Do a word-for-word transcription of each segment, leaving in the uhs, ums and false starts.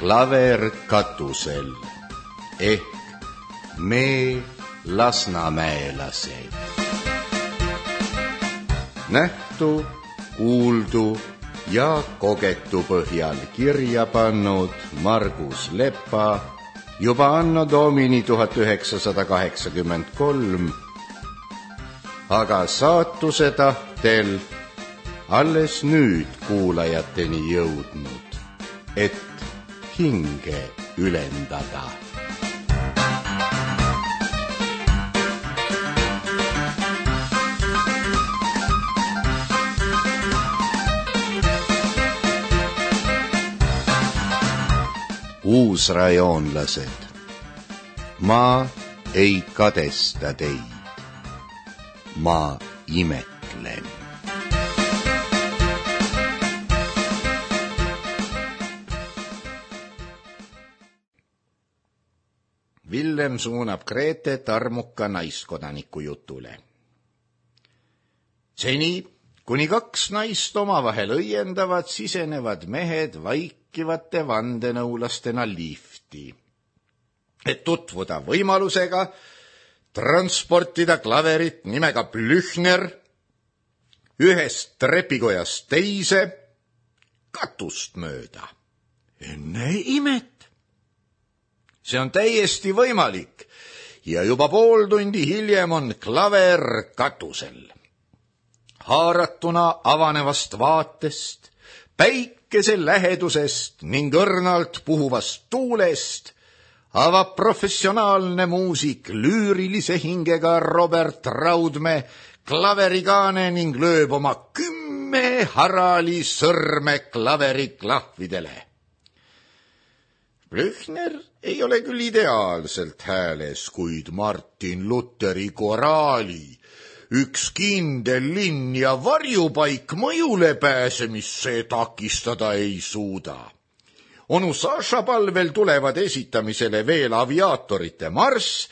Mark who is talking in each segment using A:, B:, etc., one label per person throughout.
A: Klaver katusel ehk me lasnamäelased. Nähtu, kuuldu ja kogetu põhjal kirja pannud Margus Lepa juba anno domini tuhat üheksasada kaheksakümmend kolm, aga saatuse tahtel alles nüüd kuulajateni jõudnud, et hinge ülendada. Uusrajoonlased, ma ei kadesta teid, ma imetlen. Villem suunab Gretet armuka naiskodaniku jutule. Seni, kuni kaks naist omavahel õiendavad, sisenevad mehed vaikivate vandenõulastena lifti, et tutvuda võimalusega transportida klaverit nimega Blüchner ühest trepikojast teise katust mööda. Enne imet! See on täiesti võimalik ja juba pool tundi hiljem on klaver katusel. Haaratuna avanevast vaatest, päikese lähedusest ning õrnalt puhuvast tuulest avab professionaalne muusik lüürilise hingega Robert Raudmäe klaverigaane ning lööb oma kümme harali sõrme klaveri klahvidele. Blüchner ei ole küll ideaalselt hääles, kuid Martin Lutheri koraali, üks kindel linn ja varjupaik mõjule pääsemisse takistada ei suuda. Onu Saša palvel tulevad esitamisele veel aviaatorite marss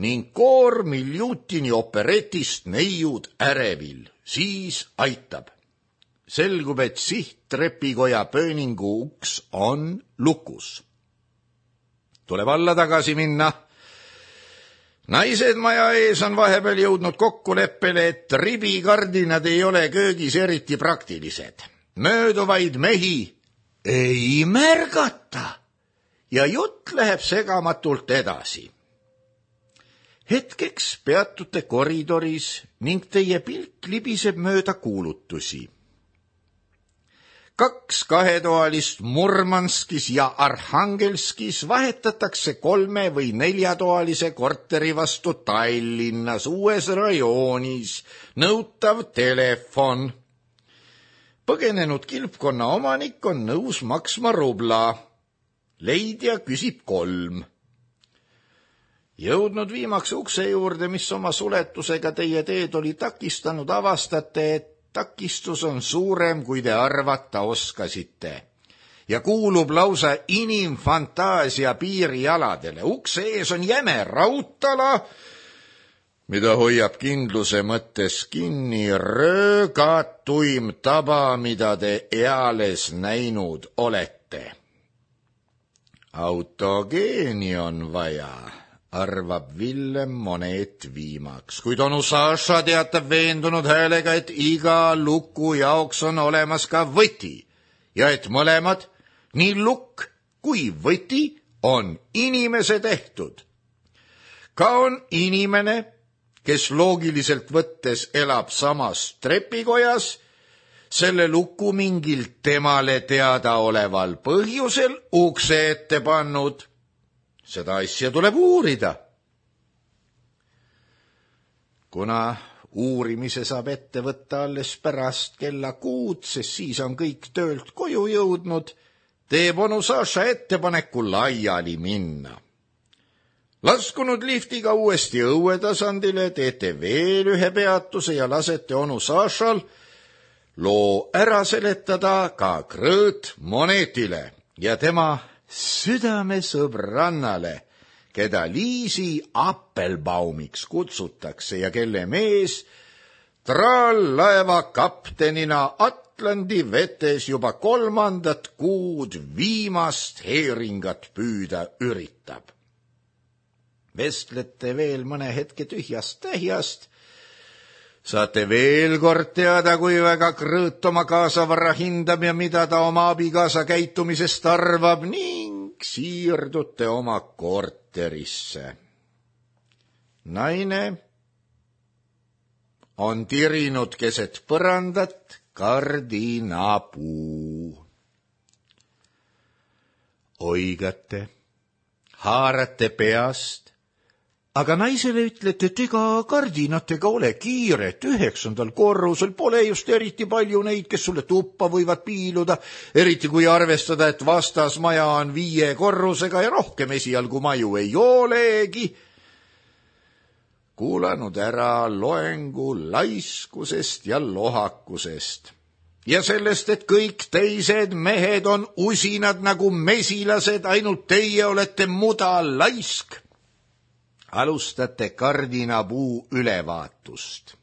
A: ning koor Miljutini operetist Neiud ärevil. Siis aitab. Selgub, et sihttrepikoja pööningu uks on lukus. Tuleb alla tagasi minna. Naised maja ees on vahepeal jõudnud kokkuleppele, et ribikardinad ei ole köögis eriti praktilised. Mööduvaid mehi ei märgata ja jutt läheb segamatult edasi. Hetkeks peatute koridoris ning teie pilk libiseb mööda kuulutusi. Kaks kahetoalist Murmanskis ja Arhangelskis vahetatakse kolme või neljatoalise korteri vastu Tallinnas uues rajoonis, nõutav telefon. Põgenenud kilpkonna omanik on nõus maksma rubla. Leidja küsib kolm. Jõudnud viimaks ukse juurde, mis oma suletusega teie teed oli takistanud, avastate, et takistus on suurem, kui te arvata oskasite ja kuulub lausa inimfantaasia piirialadele. Ukse ees on jäme raudtala, mida hoiab kindluse mõttes kinni röögatuim taba, mida te eales näinud olete. Autogeeni on vaja, arvab Villem Monet viimaks, kuid onu Saša teatab veendunud häälega, et iga luku jaoks on olemas ka võti ja et mõlemad, nii lukk kui võti, on inimese tehtud. Ka on inimene, kes loogiliselt võttes elab samas trepikojas, selle luku mingil temale teadaoleval põhjusel ukse ette pannud. Seda asja tuleb uurida. Kuna uurimise saab ette võtta alles pärast kella kuud, sest siis on kõik töölt koju jõudnud, teeb onu Saša ettepaneku laiali minna. Laskunud liftiga uuesti õuetasandile, teete veel ühe peatuse ja lasete onu Sašal loo ära seletada ka Krõõt Monetile ja tema südamesõbrannale, keda Liisi Appelbaumiks kutsutakse ja kelle mees Traallaeva kaptenina Atlandi vetes juba kolmandat kuud viimast heeringat püüda üritab. Vestlete veel mõne hetke tühjast tähjast, saate veel kord teada, kui väga Krõõt oma kaasavara hindab ja mida ta oma abikaasa käitumisest arvab ning siirdute oma korterisse. Naine on tirinud keset põrandat kardinapuu. Oigate, haarate peast, aga naisele ütlete, et ega kardinatega ole kiiret, üheksandal korrusel pole just eriti palju neid, kes sulle tuppa võivad piiluda, eriti kui arvestada, et vastasmaja on viie korrusega ja rohkem esialgu maju ei olegi. Kuulanud ära loengu laiskusest ja lohakusest ja sellest, et kõik teised mehed on usinad nagu mesilased, ainult teie olete muda laisk, alustate kardinapuu ülevaatust.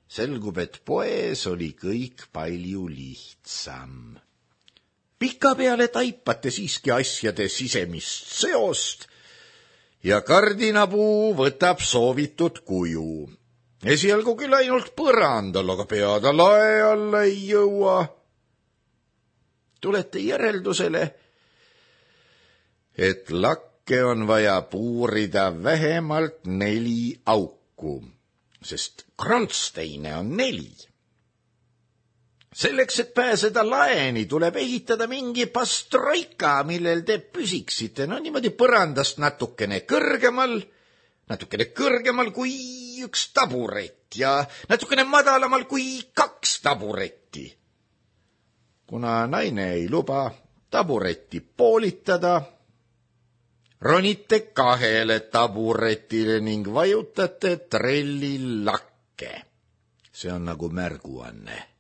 A: Selgub, et poes oli kõik palju lihtsam. Pikapeale taipate siiski asjade sisemist seost ja kardinapuu võtab soovitud kuju. Esialgu küll ainult põrandal, aga peada lae alla ei jõua. Tulete järeldusele, et lakke on vaja puurida vähemalt neli auku, sest krantsteine on neli. Selleks, et pääseda laeni, tuleb ehitada mingi pastroika, millel te püsiksite, no niimoodi põrandast natukene kõrgemal, natukene kõrgemal kui üks taburet ja natukene madalamal kui kaks taburetti. Kuna naine ei luba taburetti poolitada, ronite kahele taburetile ning vajutate trelli lakke. See on nagu märguanne.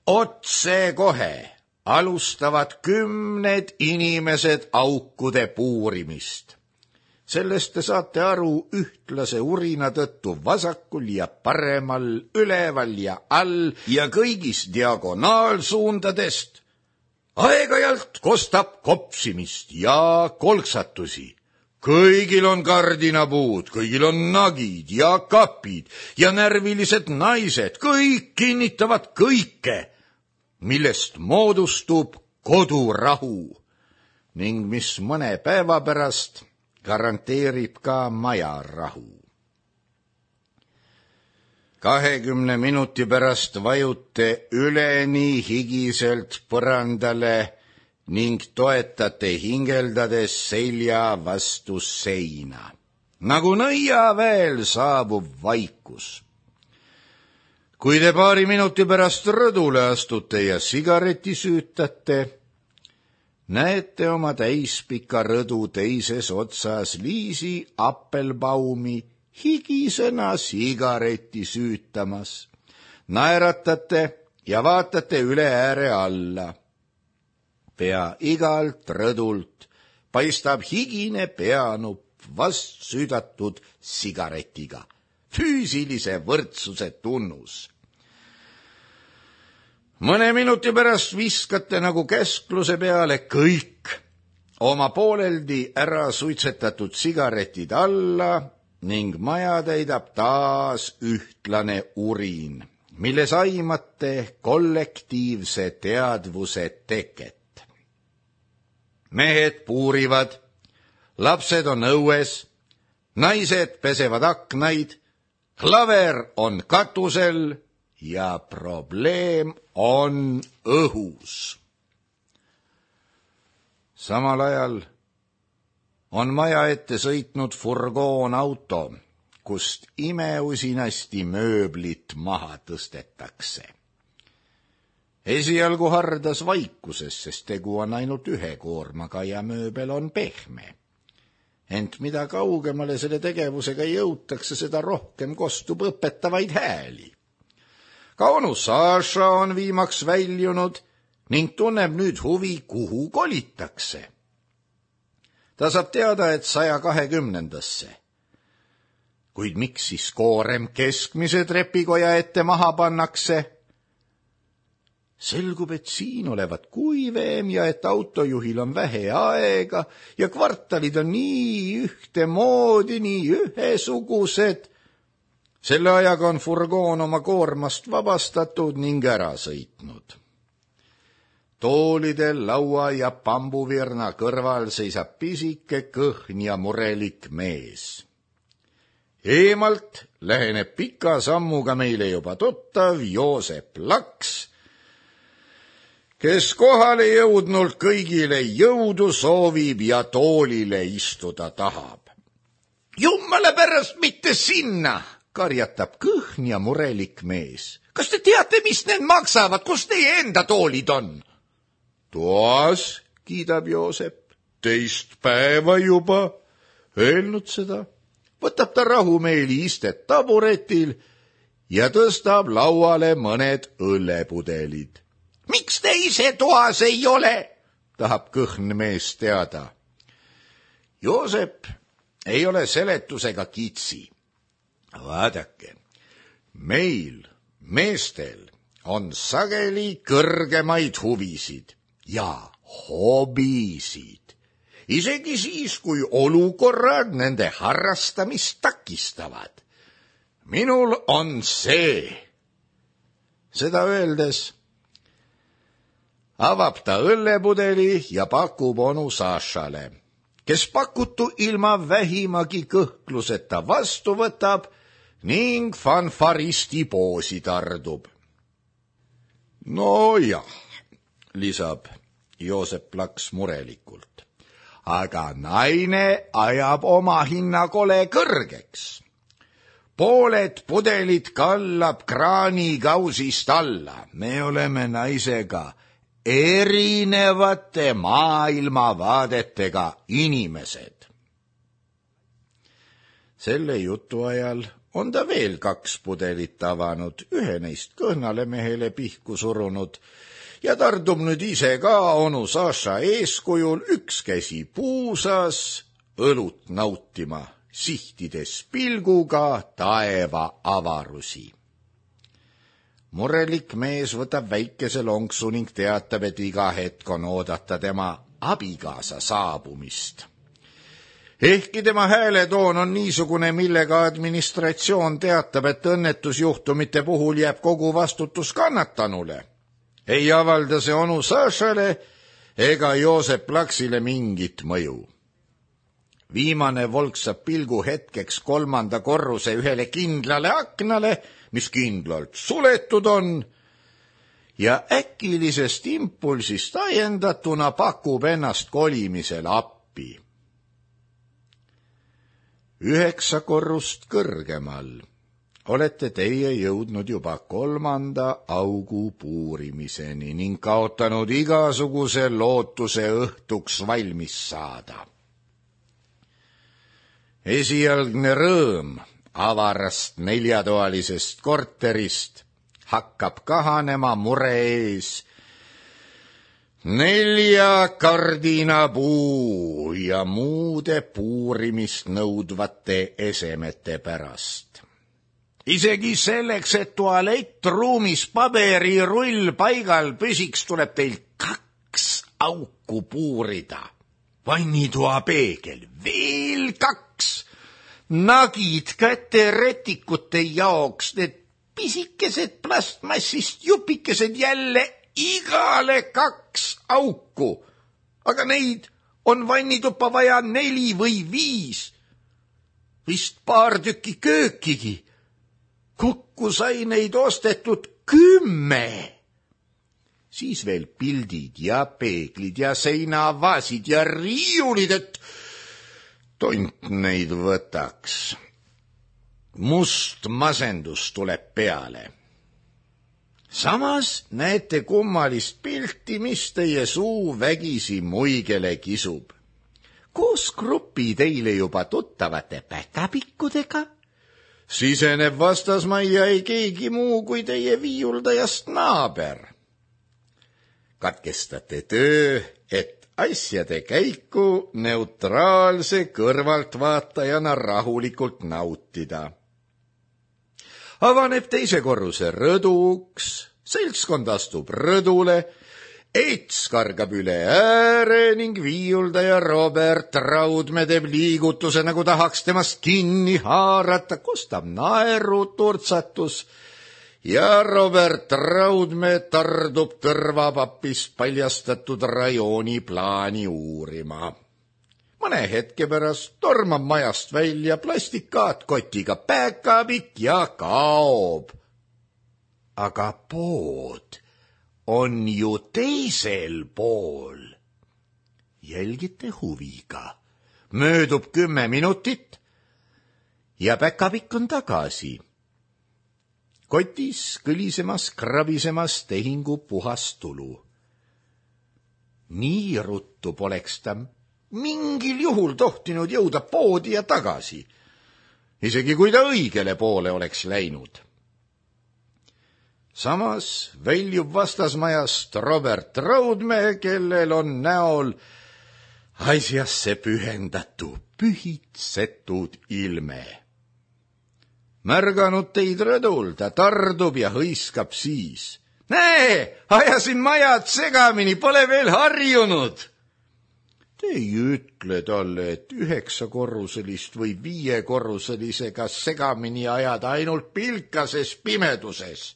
A: Otse kohe alustavad kümned inimesed aukude puurimist. Sellest te saate aru ühtlase urina tõttu vasakul ja paremal, üleval ja all ja kõigis diagonaalsuundadest. Aeg-ajalt kostab kopsimist ja kolksatusi. Kõigil on kardinapuud, kõigil on nagid ja kapid ja närvilised naised, kõik kinnitavad kõike, millest moodustub kodurahu ning mis mõne päeva pärast garanteerib ka majarahu. Kahekümne minuti pärast vajute üleni higiselt põrandale ning toetate hingeldades selja vastu seina. Nagu nõiaväel saabub vaikus. Kui te paari minuti pärast rõdule astute ja sigareti süütate, näete oma täispika rõdu teises otsas Liisi Appelbaumi higisena sigareti süütamas. Naeratate ja vaatate üle ääre alla. Pea igalt rõdult paistab higine peanupp vast süüdatud sigaretiga. Füüsilise võrdsuse tunnus. Mõne minuti pärast viskate nagu käskluse peale kõik oma pooleldi ära suitsetatud sigaretid alla ning maja täidab taas ühtlane urin, milles aimate kollektiivse teadvuse teket. Mehed puurivad, lapsed on õues, naised pesevad aknaid, klaver on katusel ja probleem on õhus. Samal ajal on maja ette sõitnud furgoonauto, kust imeusinasti mööblit maha tõstetakse. Esialgu hardas vaikuses, sest tegu on ainult ühe koormaga ja mööbel on pehme. Ent mida kaugemale selle tegevusega jõutakse, seda rohkem kostub õpetavaid hääli. Ka onu Saša on viimaks väljunud ning tunneb nüüd huvi, kuhu kolitakse. Ta saab teada, et saja kahekümnendasse. kuid miks siis koorem keskmise trepikoja ette maha pannakse? Selgub, et siin olevat kuivem ja et autojuhil on vähe aega ja kvartalid on nii ühtemoodi, nii ühesugused. Selle ajaga on furgoon oma koormast vabastatud ning ära sõitnud. Toolidel, laua ja pambuvirna kõrval seisab pisike, kõhn ja murelik mees. Eemalt läheneb pika sammuga meile juba tuttav Joosep Laks, kes kohale jõudnult kõigile jõudu soovib ja toolile istuda tahab. Jummale pärast mitte sinna, karjatab kõhn ja murelik mees. Kas te teate, mis need maksavad, kus teie enda toolid on? Toas, kiidab Joosep, teist päeva juba. Öelnud seda, võtab ta rahumeeli istet taburetil ja tõstab lauale mõned õllepudelid. Miks te ise toas ei ole? Tahab kõhn mees teada. Joosep ei ole seletusega kitsi. Vaadake, meil, meestel, on sageli kõrgemaid huvisid ja hobisid. Isegi siis, kui olukorrad nende harrastamist takistavad. Minul on see. Seda öeldes avab ta õllepudeli ja pakub onu Sašale, kes pakutu ilma vähimagi kõhkluseta vastu võtab ning fanfaristi poosi tardub. No jah, lisab Joosep Laks murelikult, aga naine ajab oma hinna kole kõrgeks. Pooled pudelid kallab kraanikausist alla. Me oleme naisega erinevate maailmavaadetega inimesed. Selle jutu ajal on ta veel kaks pudelit avanud, ühe neist kõhnale mehele pihku surunud ja tardub nüüd ise ka onu Saša eeskujul üks käsi puusas õlut nautima, sihtides pilguga taeva avarusi. Murelik mees võtab väikese lonksu ning teatab, et iga hetk on oodata tema abikaasa saabumist. Ehkki tema hääletoon on niisugune, millega administratsioon teatab, et õnnetusjuhtumite puhul jääb kogu vastutus kannatanule, ei avalda see onu Sašale ega Joosep Laksile mingit mõju. Viimane volksab pilgu hetkeks kolmanda korruse ühele kindlale aknale, mis kindlalt suletud on, ja äkilisest impulsist ajendatuna pakub ennast kolimisel appi. Üheksa korrust kõrgemal olete teie jõudnud juba kolmanda augu puurimiseni ning kaotanud igasuguse lootuse õhtuks valmis saada. Esialgne rõõm avarast neljatoalisest korterist hakkab kahanema mure ees nelja kardinapuu ja muude puurimist nõudvate esemete pärast. Isegi selleks, et tualettruumis paberirull paigal püsiks, tuleb teil kaks auku puurida. Vannitoa peegel, veel kaks. Nagid käte retikute jaoks, need pisikesed plastmassist jupikesed jälle igale kaks auku. Aga neid on vannituppa vaja neli või viis. Vist paar tükki köökigi. Kokku sai neid ostetud kümme. Siis veel pildid ja peeglid ja seinavaasid ja riiulid, et tont neid võtaks. Must masendus tuleb peale. Samas näete kummalist pilti, mis teie suu vägisi muigele kisub. Koos grupi teile juba tuttavate päkapikkudega siseneb vastasmajja ei keegi muu kui teie viiuldajast naaber. Katkestate töö, et asjade käiku neutraalse kõrvaltvaatajana rahulikult nautida. Avaneb teise korruse rõduks, seltskond astub rõdule, Eits kargab üle ääre ning viiuldaja Robert Raudmäe teeb liigutuse, nagu tahaks temast kinni haarata, kostab naeru turtsatus ja Robert Raudmäe tardub tõrvapapist paljastatud rajooni plaani uurima. Mõne hetke pärast tormab majast välja plastikkaatkotiga päkapikk ja kaob. Aga pood on ju teisel pool. Jälgite huviga. Möödub kümme minutit ja päkapikk on tagasi. Kotis kõlisemas, krabisemas tehingu puhas tulu. Nii ruttu poleks ta mingil juhul tohtinud jõuda poodi ja tagasi, isegi kui ta õigele poole oleks läinud. Samas väljub vastasmajast Robert Raudmäe, kellel on näol asjasse pühendatu pühitsetud ilme. Märganud teid rõdul, ta tardub ja hõiskab siis. Näe, ajasin majad segamini, pole veel harjunud. Te ei ütle talle, et üheksakorruselist või viiekorruselisega segamini ajada ainult pilkases pimeduses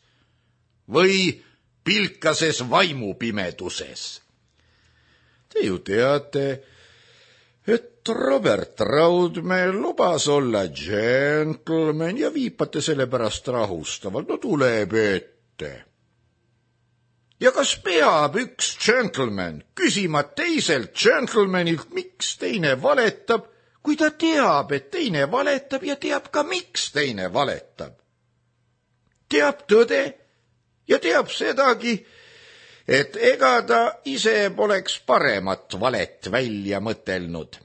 A: või pilkases vaimupimeduses. Te ju teate, et Robert Raudmäe lubas olla gentleman ja viipate selle pärast rahustavalt, no tuleb ette. Ja kas peab üks gentleman küsima teiselt gentlemanilt, miks teine valetab, kui ta teab, et teine valetab ja teab ka, miks teine valetab? Teab tõde ja teab sedagi, et ega ta ise poleks paremat valet välja mõtelnud.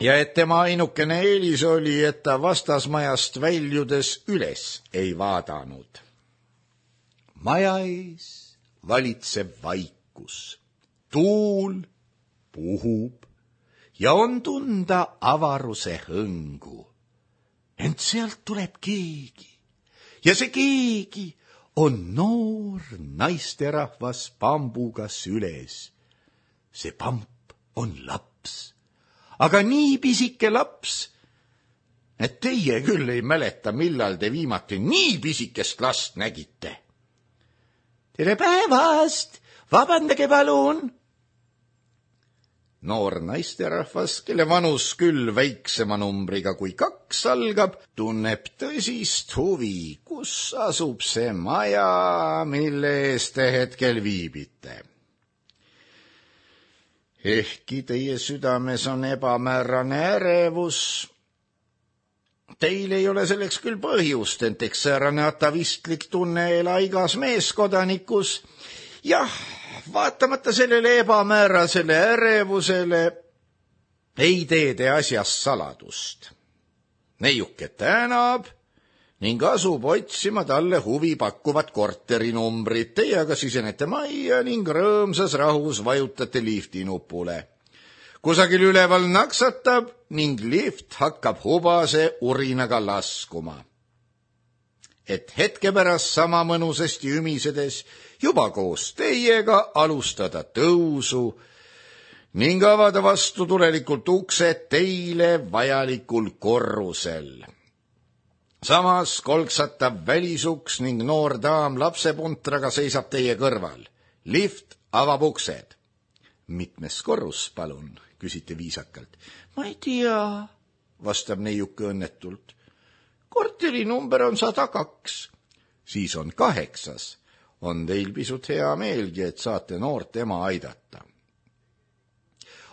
A: Ja et tema ainukene eelis oli, et ta vastasmajast väljudes üles ei vaadanud. Maja ees valitseb vaikus. Tuul puhub ja on tunda avaruse hõngu. Ent sealt tuleb keegi ja see keegi on noor naisterahvas pambuga süles. See pamp on laps, aga nii pisike laps, et teie küll ei mäleta, millal te viimati nii pisikest last nägite. Tere päevast, vabandage palun. Noor naisterahvas, kelle vanus küll väiksema numbriga kui kaks algab, tunneb tõsist huvi, kus asub see maja, mille ees te hetkel viibite. Ehkki teie südames on ebamäärane ärevus, teil ei ole selleks küll põhjust, ent eks säärane atavistlik tunne ela igas meeskodanikus. Jah, vaatamata sellele ebamäärasele ärevusele ei tee te asjast saladust. Neiuke tänab ning asub otsima talle huvi pakkuvat korterinumbrit. Teie aga sisenete majja ning rõõmsas rahus vajutate lifti nupule. Kusagil üleval naksatab ning lift hakkab hubase urinaga laskuma. Et hetke pärast sama mõnusasti ümisedes juba koos teiega alustada tõusu ning avada vastu tulelikult uksed teile vajalikul korrusel. Samas kolksatab välisuks ning noor daam lapsepuntraga seisab teie kõrval. Lift avab uksed. Mitmes korrus, palun, küsite viisakalt. Ma ei tea, vastab neiuke õnnetult. Korteri number on sada kaks. Siis on kaheksas. On teil pisut hea meelgi, et saate noort ema aidata.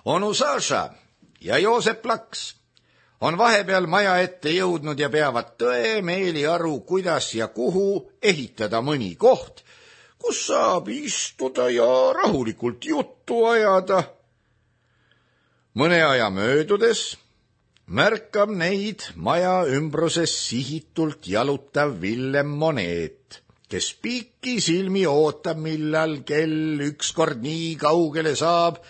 A: Onu Saša ja Joosep Laks on vahepeal maja ette jõudnud ja peavad tõemeeli aru, kuidas ja kuhu ehitada mõni koht, kus saab istuda ja rahulikult juttu ajada. Mõne aja möödudes märkab neid maja ümbruses sihitult jalutav Villem Moneet, kes piiki silmi ootab, millal kell ükskord nii kaugele saab,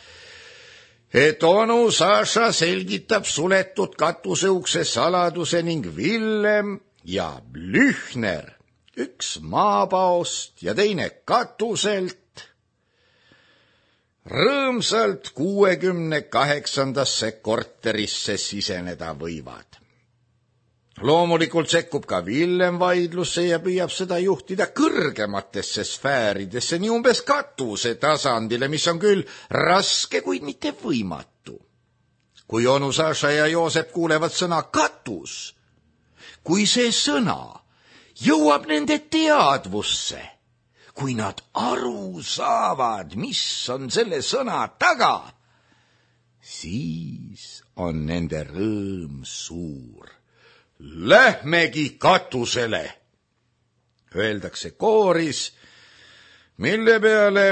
A: et onu Saša selgitab suletud katuseukse saladuse ning Villem ja Blüchner, üks maapaost ja teine katuselt, rõõmsalt kuuekümne kaheksandasse korterisse siseneda võivad. Loomulikult sekkub ka Villem vaidlusse ja püüab seda juhtida kõrgematesse sfääridesse, nii umbes katuse tasandile, mis on küll raske, kuid mitte võimatu. Kui onu Saša ja Joosep kuulevad sõna katus, kui see sõna jõuab nende teadvusse, kui nad aru saavad, mis on selle sõna taga, siis on nende rõõm suur. Lähmegi katusele, öeldakse kooris, mille peale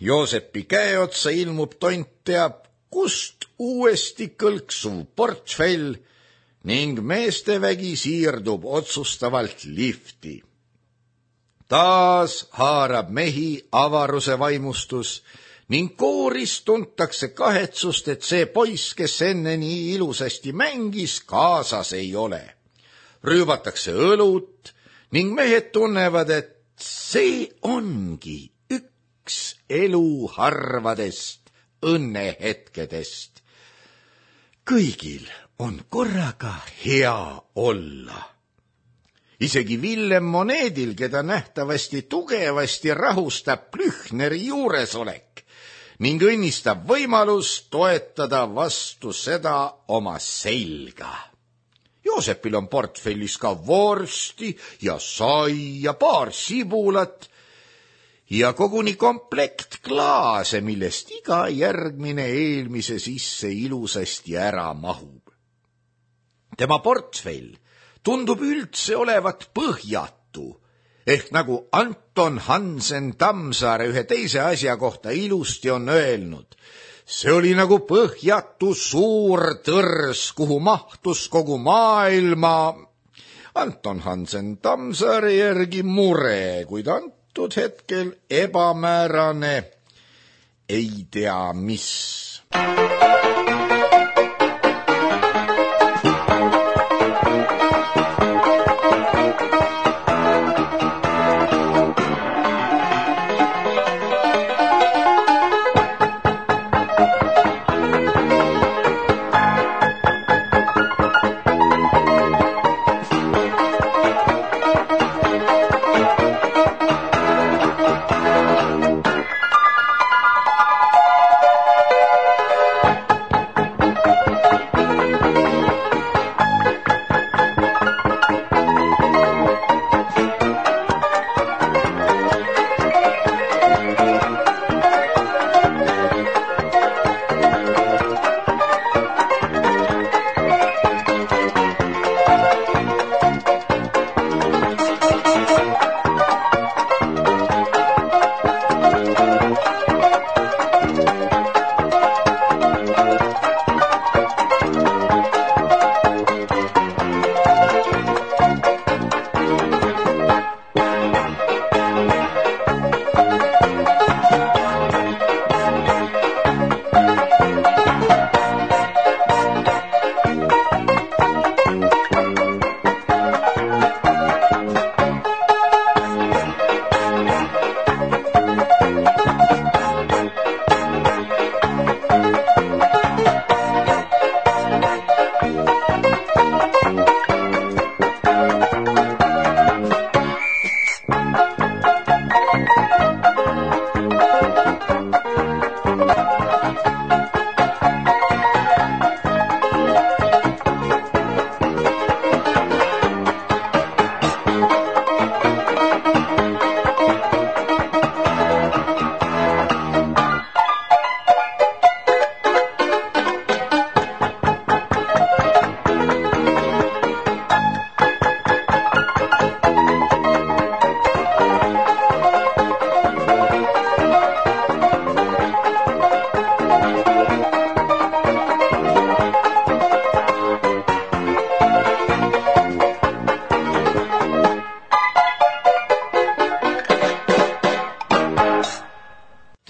A: Joosepi käeotsa ilmub tont teab kust uuesti kõlksuv portfell ning meestevägi siirdub otsustavalt lifti. Taas haarab mehi avaruse vaimustus ning kooris tuntakse kahetsust, et see poiss, kes enne nii ilusasti mängis, kaasas ei ole. Rüübatakse õlut ning mehed tunnevad, et see ongi üks elu harvadest õnnehetkedest. Kõigil on korraga hea olla. Isegi Villem Moneedil, keda nähtavasti tugevasti rahustab Blüchneri juuresolek ning õnnistab võimalus toetada vastu seda oma selga. Joosepil on portfellis ka vorsti ja sai ja paar sibulat ja koguni komplekt klaase, millest iga järgmine eelmise sisse ilusasti ära mahub. Tema portfell tundub üldse olevat põhjatu, ehk nagu Anton Hansen Tammsaare ühe teise asja kohta ilusti on öelnud, see oli nagu põhjatu suur tõrs, kuhu mahtus kogu maailma. Anton Hansen Tammsaare järgi mure, kuid antud hetkel ebamäärane, ei tea mis.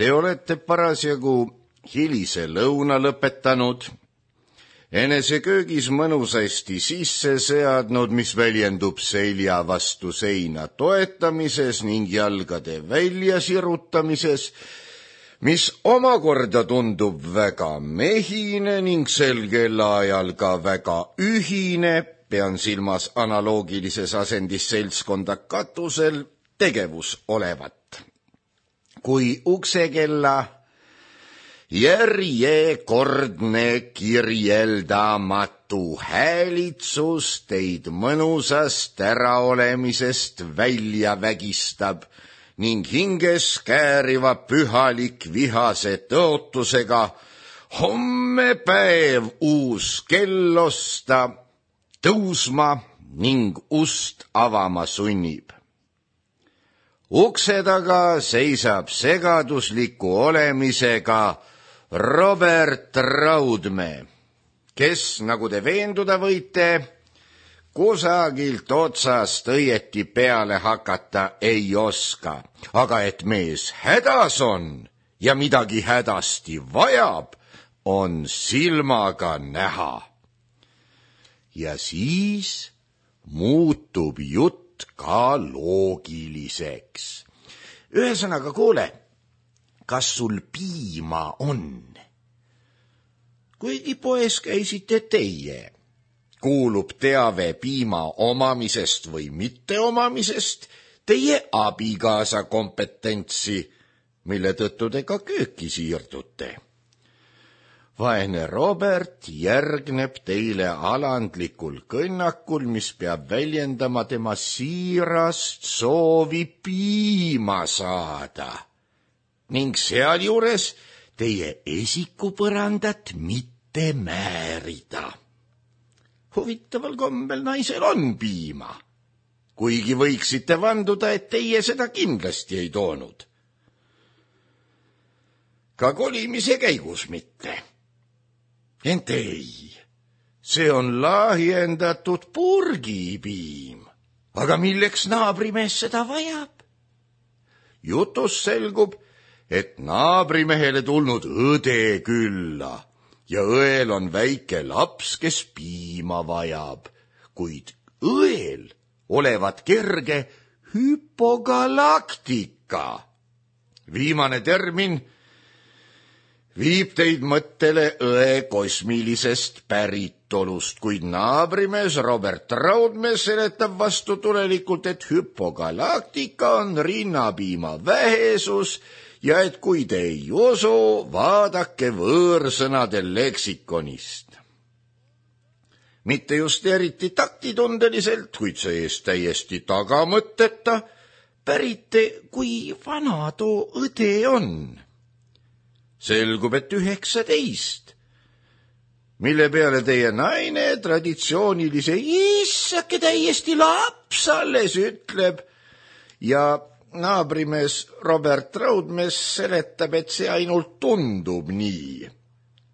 A: Te olete parasjagu hilise lõuna lõpetanud, enese köögis mõnusasti sisse seadnud, mis väljendub selja vastu seina toetamises ning jalgade välja sirutamises, mis omakorda tundub väga mehine ning sel kellaajal ka väga ühine, pean silmas analoogilises asendis seltskonda katusel tegevus olevat. Kui uksekella järjekordne kirjeldamatu häälitsus teid mõnusast äraolemisest välja vägistab ning hinges kääriva pühalik vihase tõotusega homme päev uus kell osta, tõusma ning ust avama sunnib. Ukse taga seisab segadusliku olemisega Robert Raudmäe, kes, nagu te veenduda võite, kusagilt otsast õieti peale hakata ei oska, aga et mees hädas on ja midagi hädasti vajab, on silmaga näha. Ja siis muutub jutt ka loogiliseks. Ühesõnaga, kuule, kas sul piima on? Kuigi poes käisite teie, kuulub teave piima omamisest või mitte omamisest teie abikaasa kompetentsi, mille tõttu te ka kööki siirdute. Vaene Robert järgneb teile alandlikul kõnnakul, mis peab väljendama tema siirast soovi piima saada ning sealjuures teie esikupõrandat mitte määrida. Huvitaval kombel naisel on piima, kuigi võiksite vanduda, et teie seda kindlasti ei toonud. Ka kolimise käigus mitte. Ent ei, see on lahjendatud purgipiim. Aga milleks naabrimees seda vajab? Jutus selgub, et naabrimehele tulnud õde külla ja õel on väike laps, kes piima vajab, kuid õel olevat kerge hüpogalaktika. Viimane termin viib teid mõttele õe kosmilisest päritolust, kuid naabrimees Robert Raudmäe seletab vastutulelikult, et hüpogalaktika on rinnapiima vähesus ja et kui te ei usu, vaadake võõrsõnade leksikonist. Mitte just eriti taktitundeliselt, kuid see-eest täiesti tagamõtteta, pärite, kui vana too õde on. Selgub, et üheksateist, mille peale teie naine traditsioonilise issake täiesti laps alles ütleb ja naabrimees Robert Raudmäe seletab, et see ainult tundub nii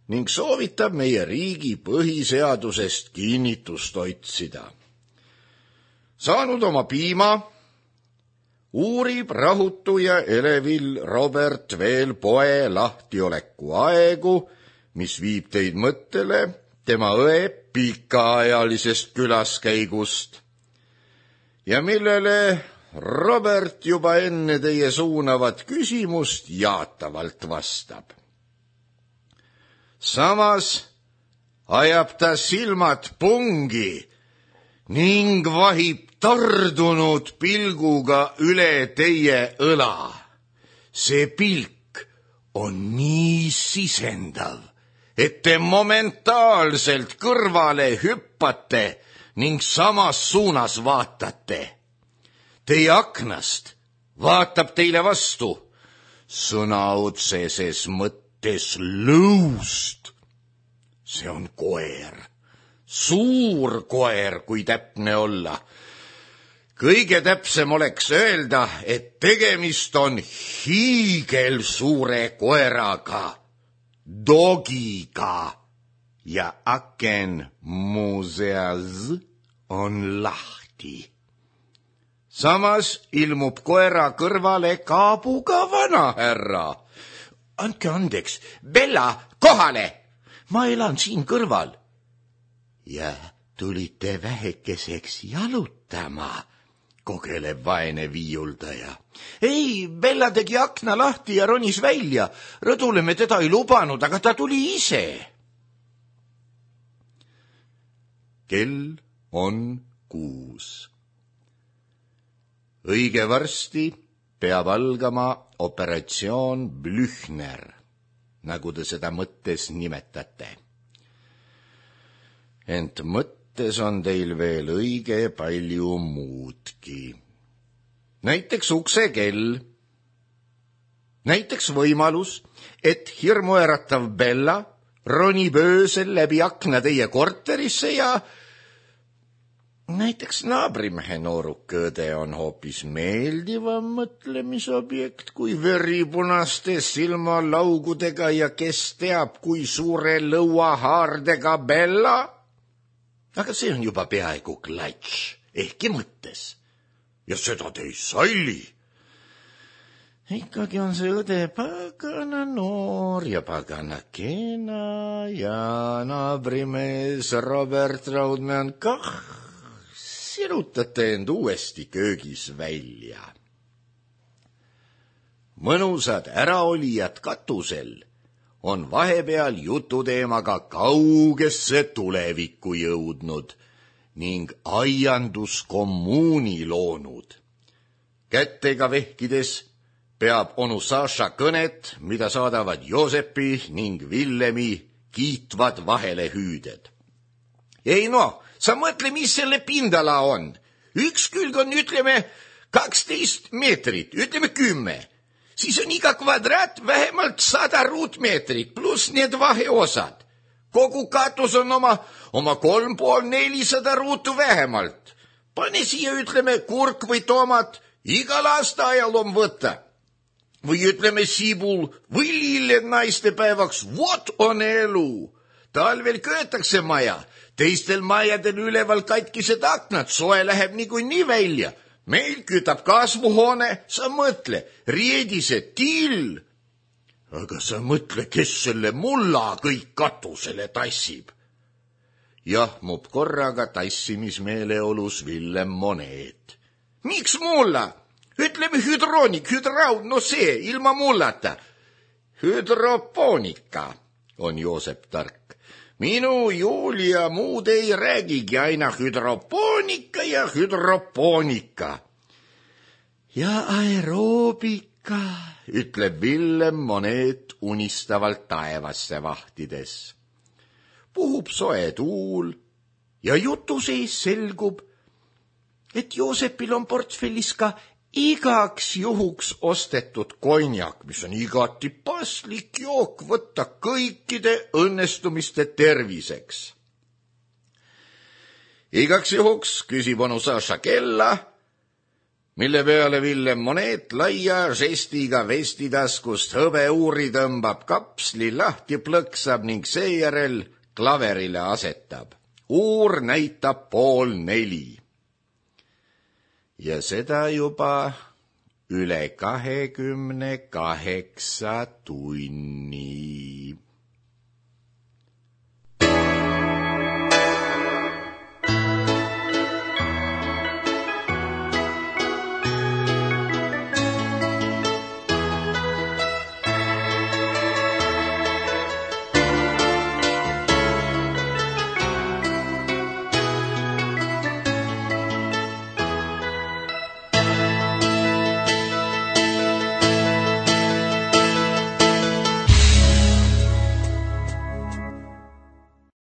A: ning soovitab meie riigi põhiseadusest kinnitust otsida. Saanud oma piima, uurib rahutu ja elevil Robert veel poe lahtioleku aegu, mis viib teid mõttele tema õe pikaajalisest külaskäigust ja millele Robert juba enne teie suunavat küsimust jaatavalt vastab. Samas ajab ta silmad pungi ning vahib tardunud pilguga üle teie õla. See pilk on nii sisendav, et te momentaalselt kõrvale hüppate ning samas suunas vaatate. Teie aknast vaatab teile vastu sõna otseses mõttes lõust. See on koer, suur koer, kui täpne olla. Kõige täpsem oleks öelda, et tegemist on hiigelsuure koeraga, dogiga ja aken muuseas on lahti. Samas ilmub koera kõrvale kaabuga vanahärra. andke andeks, Bella, kohale! Ma elan siin kõrval. Ja tulite vähekeseks jalutama, kogeleb vaene viiuldaja. Ei, Bella tegi akna lahti ja ronis välja. Rõdule me teda ei lubanud, aga ta tuli ise. Kell on kuus. Õige varsti peab algama operatsioon Blüchner, nagu te seda mõttes nimetate. Ent mõttes on teil veel õige palju muudki. Näiteks uksekell. Näiteks võimalus, et hirmuäratav Bella ronib öösel läbi akna teie korterisse ja näiteks naabrimehe noorukõde on hoopis meeldivam mõtlemisobjekt kui veripunaste silmalaugudega ja kes teab, kui suure lõuahaardega Bella. Aga see on juba peaaegu klatš, ehkki mõttes. Ja seda te ei salli. Ikkagi on see õde pagana noor ja pagana kena ja naabrimees Robert Raudmäe on kah. Sirutate end uuesti köögis välja. Mõnusad äraolijad katusel on vahepeal jututeemaga kaugesse tulevikku jõudnud ning aianduskommuuni loonud. Kättega vehkides peab onu Saša kõnet, mida saadavad Joosepi ning Villemi kiitvad vahelehüüded. Ei no, sa mõtle, mis selle pindala on. Üks külg on, ütleme, kaksteist meetrit, ütleme kümme. Siis on iga kvadraat vähemalt sada ruutmeetrit, pluss need vaheosad. Kogu katus on oma, oma kolm pool nelisada ruutu vähemalt. Pane siia, ütleme, kurk või tomat, igal aastaajal on võtta. Või ütleme sibul või lilled naistepäevaks, vot on elu. Talvel köötakse maja, teistel majadel üleval katkised aknad, soe läheb niikuinii välja. Meil kütab kasvuhoone, sa mõtle, riedise till. Aga sa mõtle, kes selle mulla kõik katusele tassib. Jahmub korraga tassimismeeleolus Villem Moneet. Miks mulla? Ütleme hüdroonik, hüdraud, no see, ilma mullata. Hüdropoonika, on Joosep tark. Minu Julia muud ei räägigi, aina hüdropoonika ja hüdropoonika. Ja aeroobika, ütleb Villem Moneet unistavalt taevasse vahtides. Puhub soe tuul ja jutu sees selgub, et Joosepil on portfellis ka igaks juhuks ostetud konjak, mis on igati paslik jook võtta kõikide õnnestumiste terviseks. Igaks juhuks küsib onu Saša kella, mille peale Villem Moneet laia žestiga vestitaskust hõbeuuri tõmbab, kapsli lahti plõksab ning seejärel klaverile asetab. Uur näitab pool neli. Ja seda juba üle kahekümne kaheksa tunni.